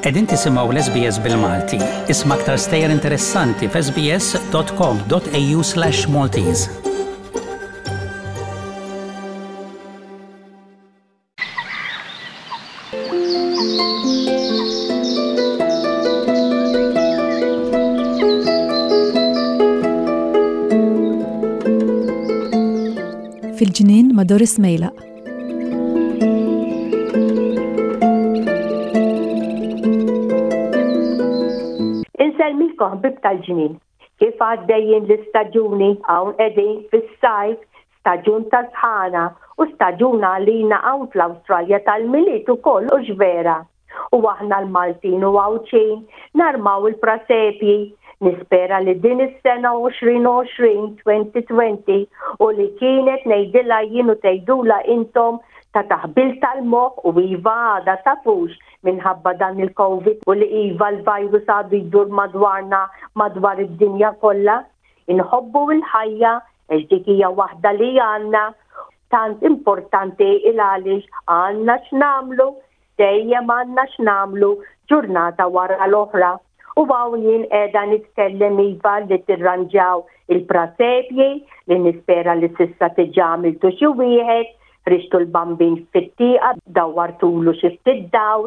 Qegħdin tisimgħu l-SBS bil-Malti. Isma' aktar stejjer interessanti f'sbs.com.au/Maltese. Fil-ġnien ma' Doris Mejlaq. Insellmilkom ħbieb tal-ġnien. Kif għaddejjin l-istaġuni hawn qegħdin fis-sajf, staġun ta' sħana u staġun għalina hawn fl-Awstralja tal-Milied ukoll hux vera? U aħna l-Maltin u Għawdxin narmaw il-prasepji. Nispera li din is-sena 2020, 2020, u li kienet ngħidilha jien u tgħidulha intom ta' taħbil tal-moħħ u iva għadha tafux minħabba dan il-Covid u li iva l-virus għadu jdur madwarna madwar id-dinja kollha. Inħobbu l-ħajja għax dik hija waħda li għandna tant importanti il għaliex għandna x'nagħmlu Dejjem għandna x'nagħmlu ġurnata wara l-oħra. U hawn jien qiegħda nitkellem iva li tirranġaw il-prasepji li nispera li s'issa diġà għamiltu xi wieħed, ħriġtu l-bambin fit-tieqa dawwartulu xi ftit dawl,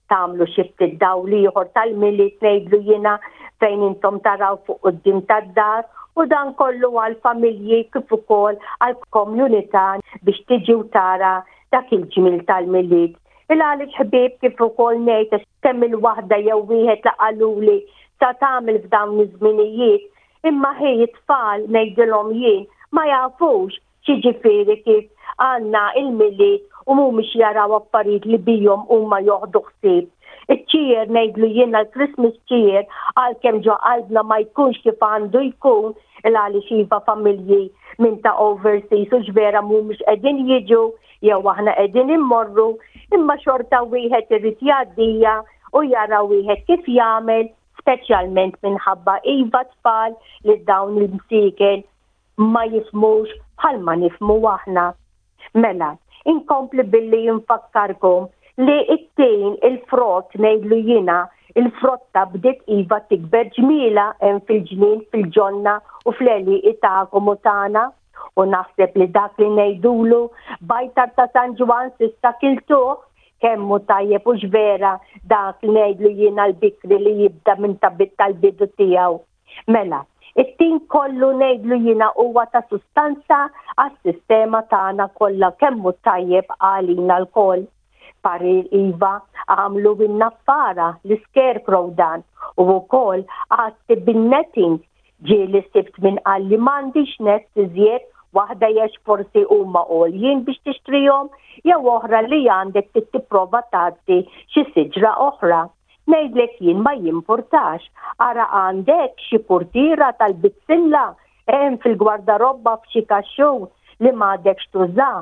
tagħmlu xi ftit dawl ieħor tal-Milied ngħidlu jiena fejn intom taraw fuq quddiem tad-dar u dan kollu għall-familji kif ukoll għall-komunità biex tiġi u tara dak il-ġmiel tal-Milied. Il-għaliex ħbieb kif ukoll ngħid għax kemm il-waħda jew wieħed li qaluli sa tagħmel f'dawn iż-żminijiet, imma ħi it-tfal ngħidilhom jien ma jafux x'jiġifieri kif għandna il-Milied u mhumiex jaraw affarijiet li bihom huma joħdu ħsieb. Iċ-cheer ngħidlu jiena l-Christmas cheer għalkemm ġo qalbna ma jkunx kif għandu jkun il-għaliex iva familji minn ta' overseas u x'vera mhumiex qegħdin jiġu jew aħna qegħdin immorru, imma xorta wieħed irid jgħaddija u jara wieħed kif jagħmel, speċjalment minħabba iva tfal li dawn il-msieken ma jifhmux bħalma nifhmu aħna. Mela, inkompli billi nfakkarkom li t-tin, il-frott ngħidlu jiena, il-frotta bdiet iva tikber ġmielha hemm fil-ġnien, fil-ġonna u fl-għelieqi tagħkom u tagħna. U naħseb li dak li ngħidulu bajtar ta' San Ġwann s'issa kiltuh, kemm hu tajjeb hux vera dak li ngħidlu jiena l-bikri li jibda minn tal-bidu tiegħu. Mela, it-tin kollu ngħidlu jiena huwa ta' sustanza għas-sistema tagħna kollha kemm hu tajjeb għalina lkoll. Parir iva, għamlu in-naffara, l-scarecrow dan, u wkoll għatti bin-netting. Ġieli sibt min qalli m'għandix nets iżjed, waħda għax forsi huma għoljin biex tixtrihom jew oħra li għandek trid tipprova tgħatti xi siġra oħra. Ngħidlek jien ma jimpurtax. Ara għandek xi purtiera tal-bizzilla hemm fil-gwardarobba f'xi kaxxun li m'għadekx tuża.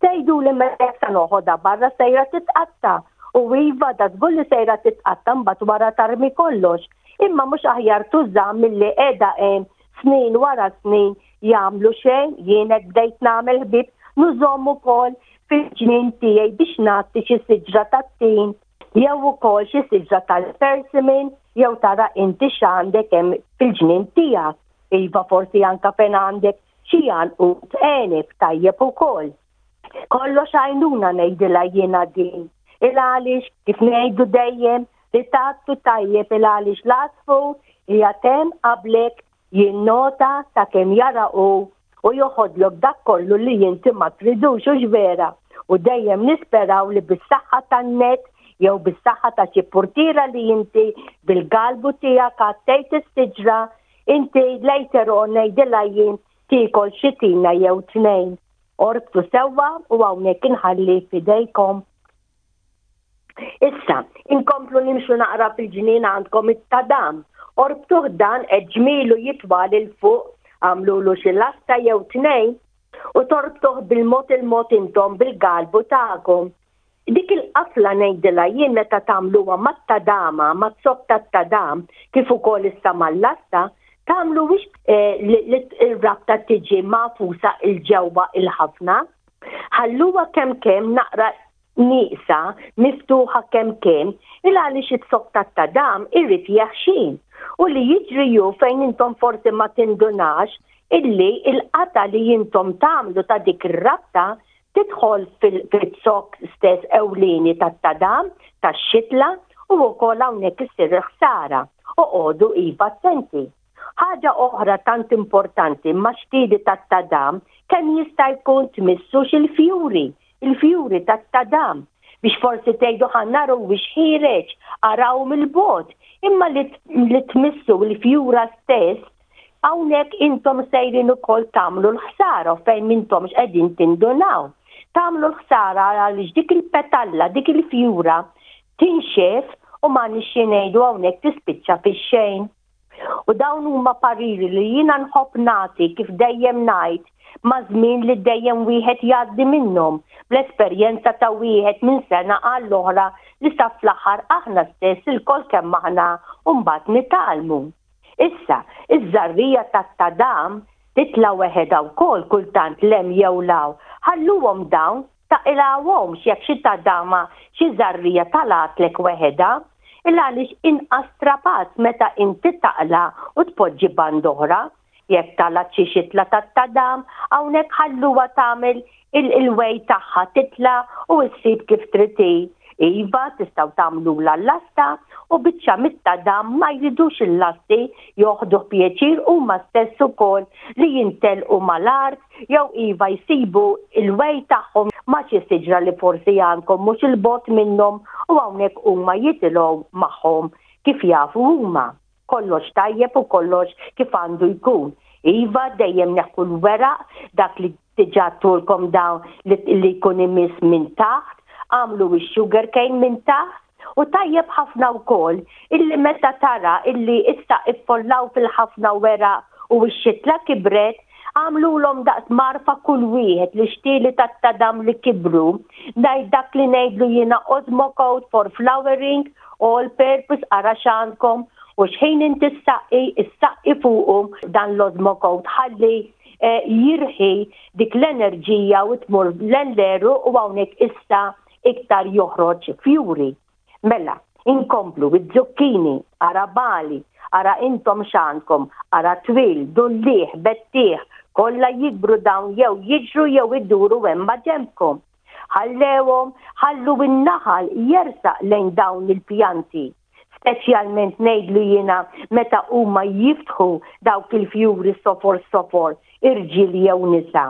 Tgħiduli mela jekk sa noħodha barra sejra titqatta'. U iva da żgur li sejra titqatta' mbagħad wara tarmi kollox. Imma mhux aħjar tuża milli qiegħda hemm snin wara snin jagħmlu xejn, jien hekk bdejt nagħmel ħbieb nużhom ukoll fil-ġnien tiegħi biex nagħti xi siġra tat-tin. Jew ukoll xi siġra tal-persimmon jew tara inti x'għandek hemm fil-ġnien tiegħek. Iva forsi anka fejn għandek xi għanqud għeneb tajjeb ukoll. Kollox għajnuna ngħidilha jiena din. Il għaliex kif ngħidu dejjem li tgħattu tajjeb il għaliex l-għasfur qiegħed hemm qablek Jinnota sakemm jara hu u joħodlok dak kollu li inti ma tridux, hux vera? U dejjem nisperaw li bis-saħħa tan-net jew bis-saħħa ta' xi purtiera li inti bil-galbu tiegħek għattejt is-siġra, inti later on ngħidilha jien tiekol xi tina jew tnejn. Orbtu sewwa u hawnhekk inħalli f'idejkom. Issa, inkomplu nimxu naqra fil-ġnien għandkom it-tadam. Orbtuh dan qed ġmielu jitwal 'il fuq, għamlulu xi lasta jew tnejn u torbtuh bil-mod il-mod intom bil-galbu tagħkom. Dik il-qafla ngħidilha jien meta tagħmluha mat-tadama, maz-zokk tat-tadam, kif ukoll issa mal-lasta, tagħmluhiex li r-rabta tiġi magħfusa 'l ġewwa 'il ħafna. Ħalluha kemm kemm naqra. Nieqsa, miftuħa kemm kemm, il għaliex iz-zokk tat-tadam irid jeħxin. U li jiġri hu fejn intom forsi ma tindunax illi l-qatgħa li intom tagħmlu ta' dik ir-rabta tidħol fil-zokk stess ewlieni tat-tadam, tax-xitla, u wkoll hawnhekk issir il-ħsara. Oqogħdu iva attenti. Ħaġa oħra tant importanti ma' xtieli tat-tadam kemm jista' jkun tmissux il-fjuri, il-fjuri tat-tadam, biex forsi tgħidu ħa naraw wiex ħiereġ, araw mill-bogħod, imma li, li tmissu l-fjura stess, hawnhekk intom sejrin ukoll tagħmlu l-ħsara fejn m'intomx qegħdin tindunaw. Tagħmlu l-ħsara għaliex dik il-petalla, dik il-fjura tinxef u ma nixxi ngħidu hawnhekk tispiċċa fix-xejn. U dawn huma pariri li jiena nħobb nagħti kif dejjem ngħid maż-żmien li dejjem wieħed jgħaddi minnhom, bl-esperjenza ta' wieħed minn sena għall-oħra li sa fl-aħħar aħna stess ilkoll kemm aħna mbagħad nitgħallmu. Issa, iż-żarrija tat-tadam titla' weħedha wkoll kultant 'l hemm jew 'l hawn. Ħalluhom dawn Taqilgħuhomx jekk xi tadama, xi żarrija talgħatlek weħedha, il-għaliex inqas strapazz meta inti taqla' u tpoġġi band'oħra. Jekk talgħet xi xitla tat-tadam, hawnhekk ħalluha tagħmel il-way tagħha titla' u ssib kif trid hi. Iva, tistgħu tagħmlulha l-lasta u biċċa mit-tadam ma jridux il-lasti joħduh pjaċir huma stess ukoll li jintelqu mal-art jew iva jsibu l-way tagħhom ma' xi siġra li forsi għandkom mhux 'il bogħod minnhom u hawnhekk huma jitilgħu magħhom kif jafu huma. Kollox tajjeb u kollox kif għandu jkun. Iva dejjem neħħu l-weraq dak li diġà għedtulkom dawn li jkun imiss minn taħt, agħmlu x-sugar cane minn taħt U tajjeb ħafna wkoll illi meta tara illi issa iffollaw fil-ħafna weraq u x-xitla kibret, agħmlulhom daqs mgħarfa kull wieħed l-ixtieli tat-tadam li kibru, ngħid dak li ngħidlu jiena Osmocote for flowering, all purpose ara x'għandkom u x'ħin inti ssaqqi, issaqqi fuqu dan l-Osmocote ħalli jirħi dik l-enerġija u tmur l-għeruq u hawnhekk issa iktar joħroġ fjuri. Mela, inkomplu, iz-zucchini, ara bali, ara intom x'għandkom, ara twil, dulliegħ, bettieħ, kollha jikbru dawn jew jiġru jew iduru hemm maġenbkom. Ħallewhom, ħallu n-naħal jersaq lejn dawn il-pjanti. Speċjalment ngħidlu jiena meta huma jiftħu dawk il-fjuri sofor sofor, irġiel jew nisa.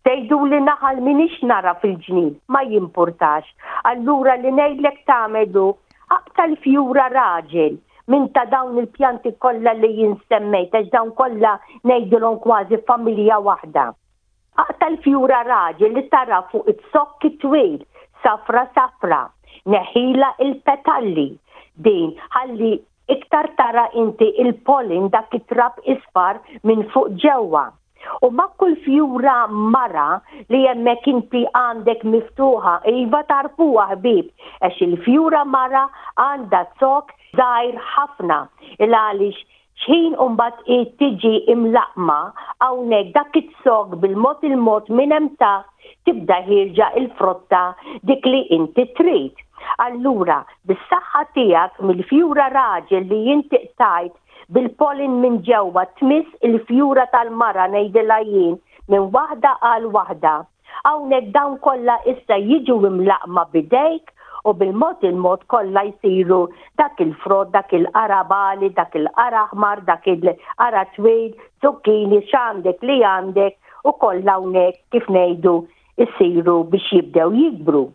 Tgħiduli naħal m'iniex nara fil-ġnien, ma jimpurtax. Allura li ngħidlek tagħmel hu, aqta' l-fjura raġel minn ta' dawn il-pjanti kollha li jien semmejt għax dawn kollha ngħidilhom kważi familja waħda. Aqta' l-fjura raġel li tara fuq iz-zokk it-twil, safra safra. Neħħilha il-petalli din ħalli Iktar tara inti il-pollen dak it-trab isfar minn fuq ġewwa. U ma' kull fjura mara li hemmhekk inti għandek miftuħa, iva tagħrfuha ħbieb, għax il-fjura mara għandha zokk żgħir ħafna, il-għaliex x'ħin imbagħad hi tiġi imlaqqma hawnhekk dak iz-zokk bil-mod il-mod minn hemm taħt tibda ħierġa il-frotta dik li inti trid. Allura, bis-saħħa tiegħek mill-fjura raġel li inti qtajt bil-pollen minn ġewwa tmiss il-fjura tal-mara ngħidilha jien minn waħda għal waħda. Hawnhekk dawn kollha issa jiġu imlaqqma b'idejk u bil-mod il-mod kollha jsiru dak il-frott, dak il-qara bagħli, dak il-qara aħmar, dak il-qara twil, zucchini, x'għandek li għandek u kollha hawnhekk kif ngħidu jsiru biex jibdew jikbru.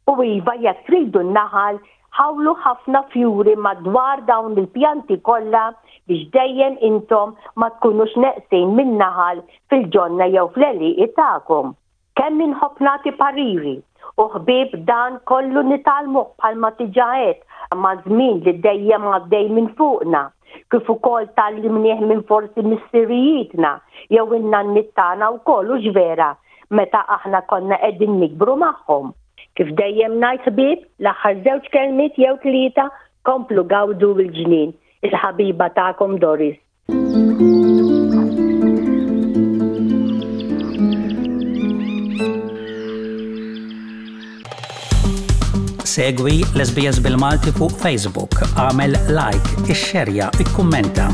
U iva jekk tridu n-naħal ħawlu ħafna fjuri madwar dawn il-pjanti kollha biex dejjem intom ma tkunux neqsin min-naħal fil-ġonna jew fl-għelieqi tagħkom. Kemm inħobb nagħti pariri u ħbieb dan kollu nitgħallmuh bħalma diġà għedt maż-żmien li dejjem għaddej minn fuqna, kif ukoll tgħallimnieh minn forsi missirijietna jew in-nanniet tagħna wkoll hux vera meta aħna konna qegħdin nikbru magħhom. Kif dejjem ngħid ħbieb, l-aħħar żewġ kelmiet jew tlieta komplu gawdu l-ġnien. Il-ħabiba tagħkom Doris. Segwi l-SBS bil-Malti fuq Facebook, għamel like, ixxerja, ikkummenta.